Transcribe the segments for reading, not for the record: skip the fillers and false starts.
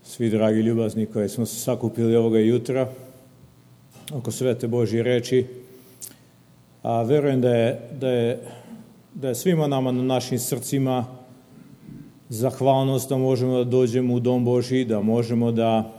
Svi dragi ljubazni koji smo se sakupili ovoga jutra oko svete Božje reči, a verujem da je svima nama na našim srcima zahvalnost da možemo da dođemo u dom Božji, da možemo da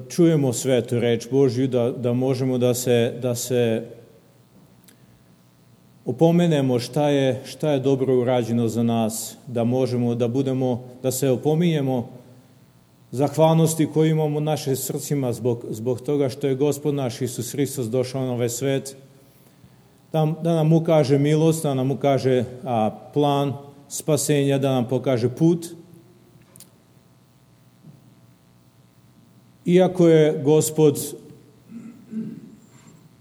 čujemo svetu reč Božju, da možemo da se opomenemo šta je dobro urađeno za nas, da možemo da se opominjemo zahvalnosti koju imamo u našim srcima zbog toga što je Gospod naš Isus Hristos došao na ovaj svet, da nam ukaže milost, da nam ukaže plan spasenja, da nam pokaže put. Iako je Gospod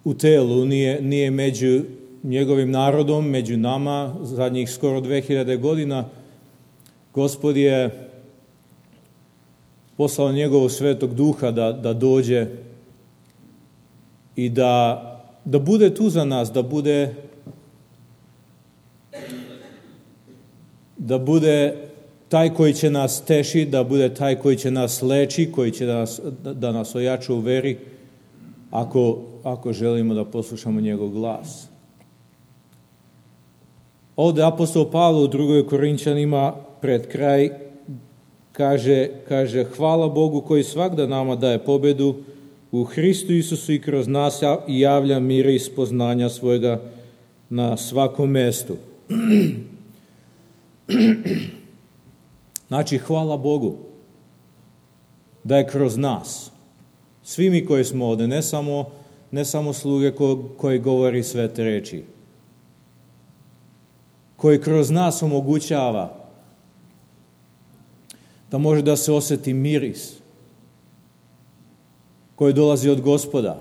u telu, nije među njegovim narodom, među nama, zadnjih skoro 2000 godina, Gospod je poslao njegovog Svetog Duha da dođe i da bude tu za nas, da bude taj koji će nas teši, da bude taj koji će nas leči, koji će da nas ojača u veri, ako želimo da poslušamo njegov glas. Ovde apostol Pavle u 2. Korinćanima pred kraj kaže hvala Bogu koji svagda nama daje pobedu u Hristu Isusu i kroz nas javlja mira i spoznanja svojega na svakom mestu. Znači, hvala Bogu da je kroz nas, svi mi koji smo ovde, ne samo sluge koji govori svete reči, koji kroz nas omogućava da može da se osjeti miris koji dolazi od Gospoda.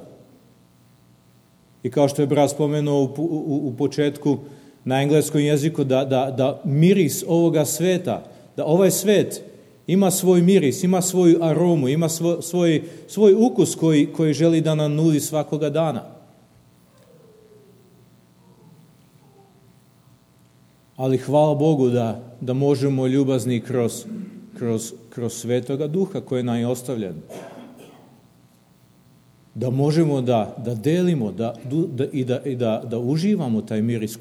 I kao što je brat spomenuo u početku na engleskom jeziku, da miris ovoga sveta, da ovaj svet ima svoj miris, ima svoju aromu, ima svoj ukus koji želi da nam nudi svakoga dana. Ali hvala Bogu da možemo ljubazni kroz Svetoga Duha koji nam je ostavljen. Da možemo da delimo da uživamo taj miris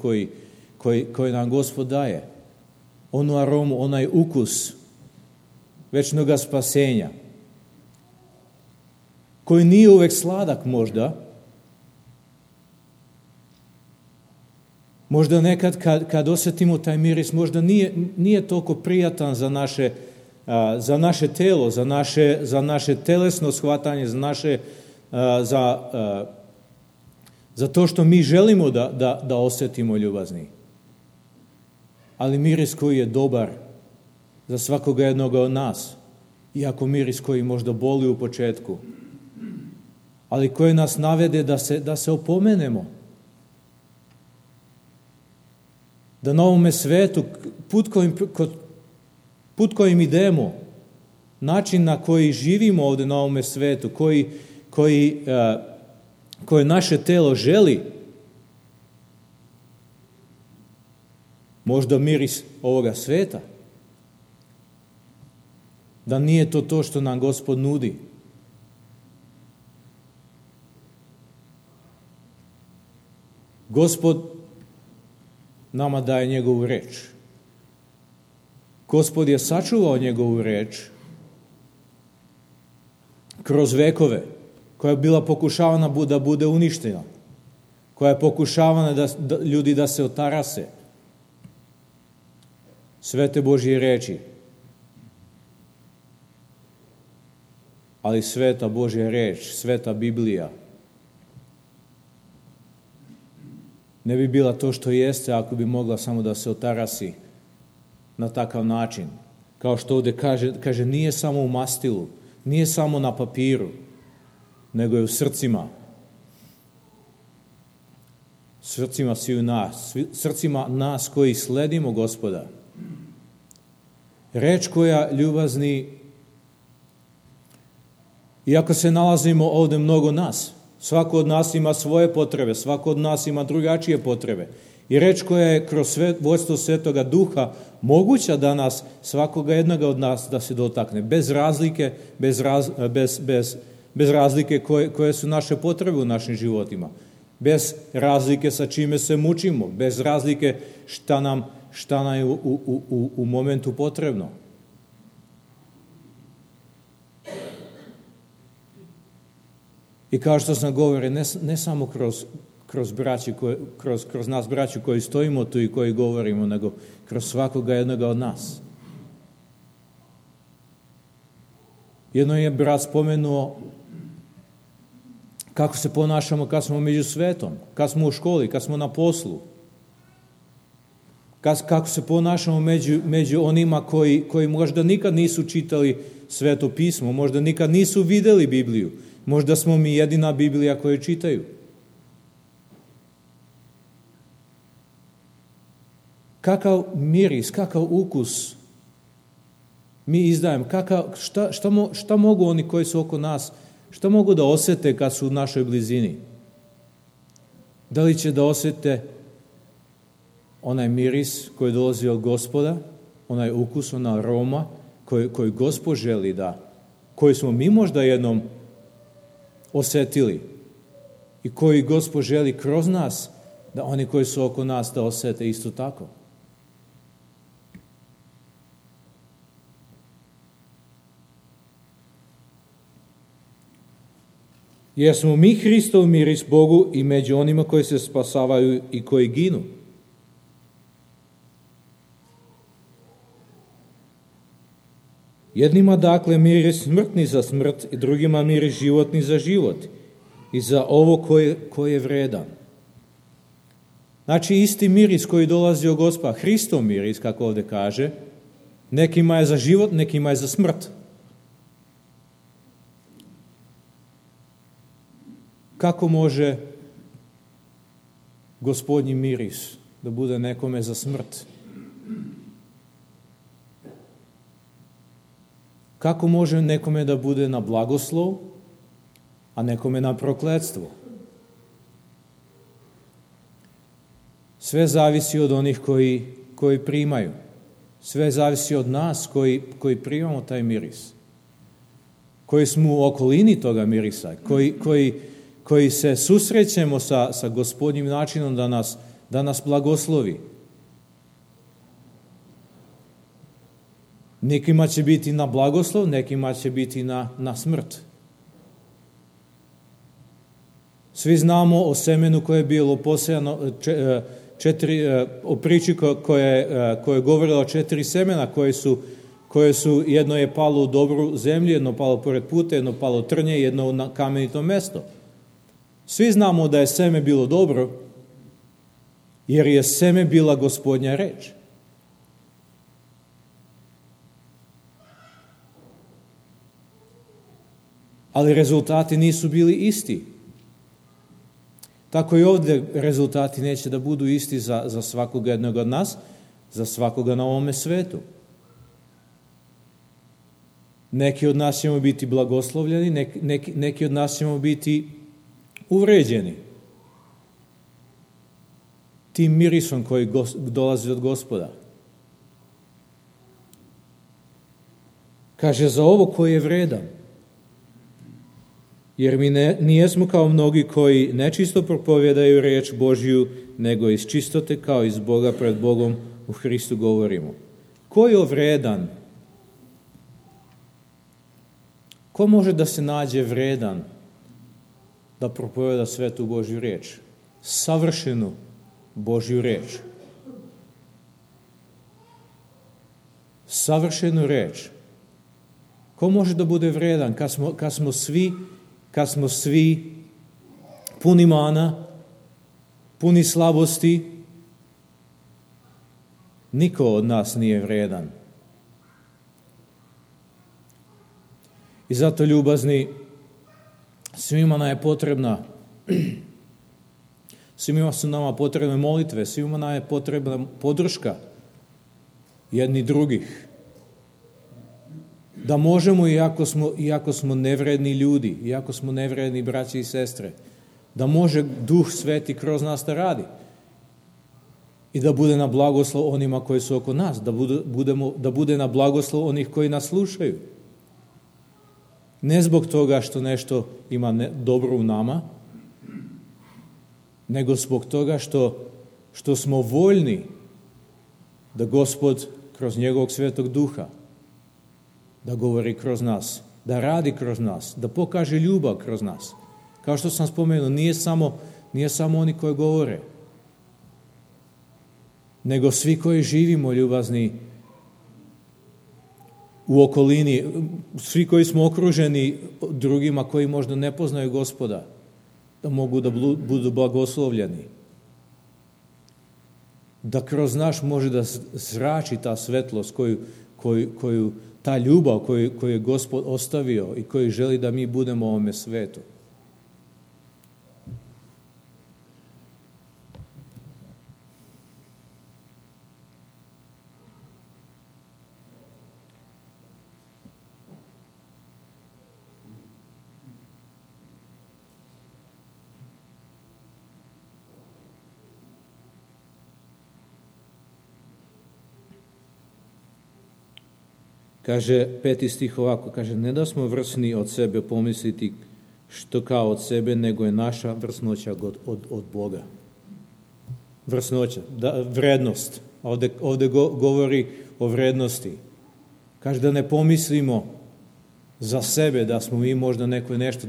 koji nam Gospod daje. Onu aromu, onaj ukus večnoga spasenja. Koji nije uvek sladak možda. Možda nekad kad osjetimo taj miris, možda nije toliko prijatan za naše telo, za naše telesno shvatanje, za to što mi želimo da osjetimo ljubazni. Ali miris koji je dobar za svakoga jednoga od nas, iako miris koji možda boli u početku, ali koji nas navede da se opomenemo. Da na ovome svetu, put kojim idemo, način na koji živimo ovde na ovome svetu, koje naše telo želi, možda miris ovoga sveta, da nije to što nam Gospod nudi. Gospod nama daje njegovu reč. Gospod je sačuvao njegovu reč kroz vekove, koja je bila pokušavana da bude uništena, koja je pokušavana ljudi da se otarase. Svete Božje reči. Ali sveta Božja reč, sveta Biblija, ne bi bila to što jeste ako bi mogla samo da se otarasi na takav način. Kao što ovde kaže nije samo u mastilu, nije samo na papiru, nego je u srcima. Srcima sviju nas, srcima nas koji sledimo Gospoda. Reč koja, ljubazni, iako se nalazimo ovde mnogo nas, svako od nas ima svoje potrebe, svako od nas ima drugačije potrebe. I reč koja je kroz vođstvo Svetoga Duha moguća danas svakoga jednoga od nas da se dotakne. Bez razlike, bez razlike koje su naše potrebe u našim životima. Bez razlike sa čime se mučimo. Bez razlike šta nam je u momentu potrebno. I kao što sam govorio, ne samo kroz nas braću koji stojimo tu i koji govorimo, nego kroz svakoga jednoga od nas. Jedno je brat spomenuo kako se ponašamo kad smo među svetom, kad smo u školi, kad smo na poslu. Kako se ponašamo među onima koji možda nikad nisu čitali Sveto pismo, možda nikad nisu videli Bibliju, možda smo mi jedina Biblija koju čitaju. Kakav miris, kakav ukus mi izdajemo, šta mogu oni koji su oko nas, šta mogu da osete kad su u našoj blizini? Da li će da osete onaj miris koji dolazi od Gospoda, onaj ukus, ona aroma koji Gospod želi koji smo mi možda jednom osetili i koji Gospod želi kroz nas, da oni koji su oko nas da osete isto tako. Jer smo mi Hristov miris Bogu i među onima koji se spasavaju i koji ginu. Jednima dakle miris smrtni za smrt i drugima miris životni za život i za ovo koje je vredan. Znači isti miris koji dolazi od Gospoda, Hristov miris, kako ovdje kaže, nekima je za život, nekima je za smrt. Kako može Gospodnji miris da bude nekome za smrt? Kako može nekome da bude na blagoslov, a nekome na prokletstvo? Sve zavisi od onih koji primaju. Sve zavisi od nas koji primamo taj miris. Koji smo u okolini toga mirisa, koji se susrećemo sa Gospodnjim načinom da nas blagoslovi. Nekima će biti na blagoslov, nekima će biti na smrt. Svi znamo o semenu koje je bilo posejano, o priči koja je govorila o 4 semena koje su, jedno je palo u dobru zemlju, jedno palo pored puta, jedno palo trnje, jedno na kamenito mesto. Svi znamo da je seme bilo dobro, jer je seme bila Gospodnja reč. Ali rezultati nisu bili isti. Tako i ovdje rezultati neće da budu isti za svakoga jednog od nas, za svakoga na ovome svetu. Neki od nas ćemo biti blagoslovljeni, neki od nas ćemo biti uvređeni tim mirisom koji dolazi od Gospoda. Kaže, za ovo koji je vredan. Jer mi nijesmo kao mnogi koji nečisto propovjedaju riječ Božju, nego iz čistote kao iz Boga pred Bogom u Hristu govorimo. Ko je vredan? Ko može da se nađe vredan da propovjeda svetu Božju riječ? Savršenu Božju riječ. Savršenu riječ. Ko može da bude vredan kad smo svi puni mana, puni slabosti? Niko od nas nije vredan. I zato, ljubazni, svima nam je potrebna, svima su nama potrebne molitve, svima nam je potrebna podrška jedni drugih. Da možemo, iako smo nevredni ljudi, iako smo nevredni braći i sestre, da može Duh Sveti kroz nas da radi. i da bude na blagoslov onima koji su oko nas, da bude na blagoslov onih koji nas slušaju. Ne zbog toga što nešto ima dobro u nama, nego zbog toga što smo voljni da Gospod kroz njegovog Svetog Duha da govori kroz nas, da radi kroz nas, da pokaže ljubav kroz nas. Kao što sam spomenuo, nije samo oni koji govore, nego svi koji živimo ljubazni u okolini, svi koji smo okruženi drugima koji možda ne poznaju Gospoda, da mogu da budu blagoslovljeni. Da kroz naš može da zrači ta svetlost koju ta ljubav koju je Gospod ostavio i koji želi da mi budemo u ovome svetu. Kaže 5. stih ovako, kaže, ne da smo vrsni od sebe pomisliti što kao od sebe, nego je naša vrsnoća od Boga. Vrsnoća, vrednost. Ovdje govori o vrednosti. Kaže da ne pomislimo za sebe, da smo mi možda neko nešto,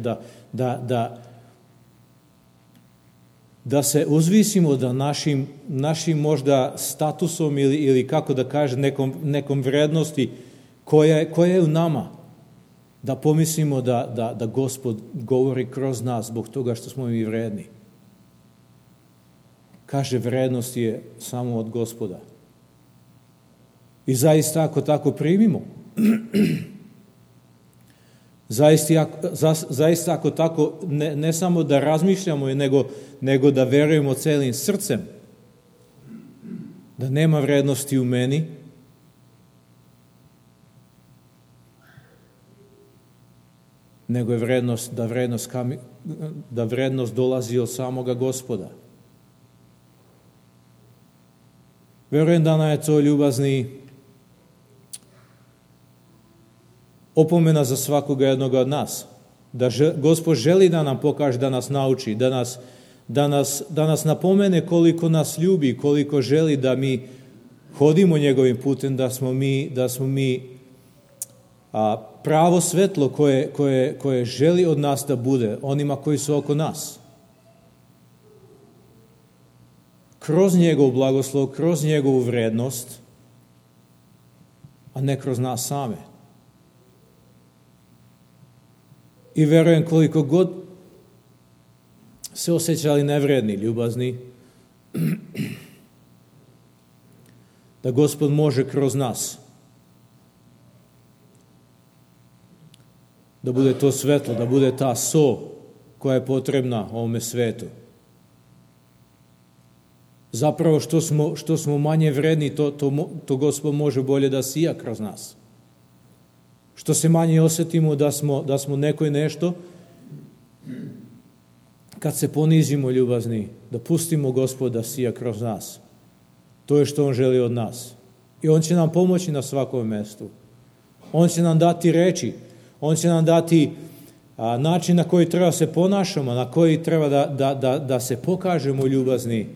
da se uzvisimo da našim možda statusom ili kako da kaže nekom vrednosti koja je u nama, da pomislimo da Gospod govori kroz nas zbog toga što smo mi vredni. Kaže, vrednost je samo od Gospoda. I zaista ako tako primimo, zaista ako tako ne samo da razmišljamo, nego da verujemo celim srcem, da nema vrednosti u meni, nego je da vrednost dolazi od samoga Gospoda. Verujem da nam je to ljubazni opomena za svakoga jednoga od nas. Da Gospod želi da nam pokaže, da nas nauči, da nas napomene koliko nas ljubi, koliko želi da mi hodimo njegovim putem, da smo mi pravo svetlo koje želi od nas da bude onima koji su oko nas. Kroz njegov blagoslov, kroz njegovu vrednost, a ne kroz nas same. I verujem koliko god se osjećali nevredni, ljubazni, da Gospod može kroz nas da bude to svetlo, da bude ta so koja je potrebna ovome svetu. Zapravo što smo manje vredni, to Gospod može bolje da sija kroz nas. Što se manje osjetimo da smo neko i nešto, kad se ponizimo ljubazni, da pustimo Gospod da sija kroz nas. To je što On želi od nas. I On će nam pomoći na svakom mjestu. On će nam dati reči. On će nam dati način na koji treba se ponašamo, na koji treba da se pokažemo ljubazni.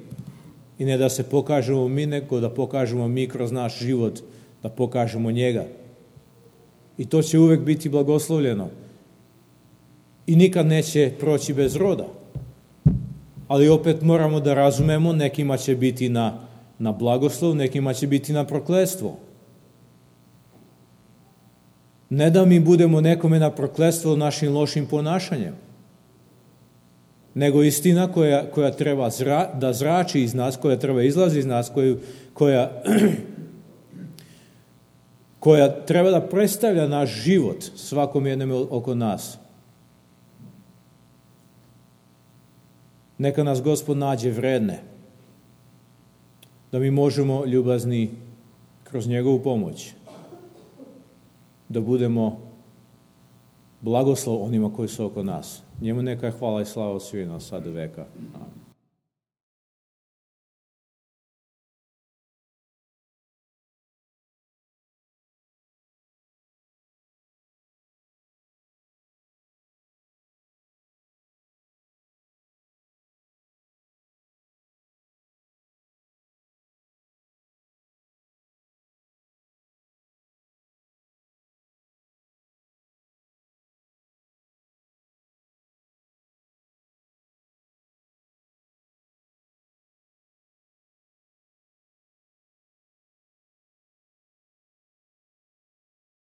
I ne da se pokažemo mi, nego da pokažemo mi kroz naš život, da pokažemo njega. I to će uvek biti blagoslovljeno. I nikad neće proći bez roda. Ali opet moramo da razumemo, nekima će biti na blagoslov, nekima će biti na prokletstvo. Ne da mi budemo nekome na prokletstvo našim lošim ponašanjem, nego istina koja treba da zrači iz nas, koja treba izlazi iz nas, koja treba da predstavlja naš život svakom jednom oko nas. Neka nas Gospod nađe vredne, da mi možemo ljubazni kroz njegovu pomoć, da budemo blagoslov onima koji su oko nas. Njemu neka hvala i slava svima sad do veka. Amen.